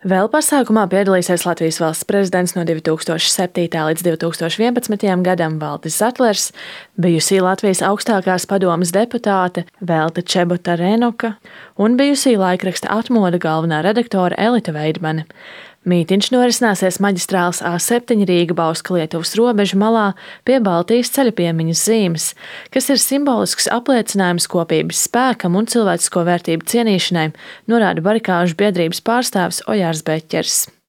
Vēl pasākumā piedalīsies Latvijas valsts prezidents no 2007. līdz 2011. gadam Valdis Zatlers, bijusī Latvijas augstākās padomes deputāte Velta Čebota-Renoka un bijusī laikraksta Atmoda galvenā redaktore Elita Veidmane. Mītiņš norisināsies maģistrāles A7 Rīga-Bauska-Lietuvas robežu malā pie Baltijas ceļa piemiņas zīmes, kas ir simbolisks apliecinājums kopības spēkam un cilvēcisko vērtību cienīšanai, norāda barikāžu biedrības pārstāvis Ojārs Beķers.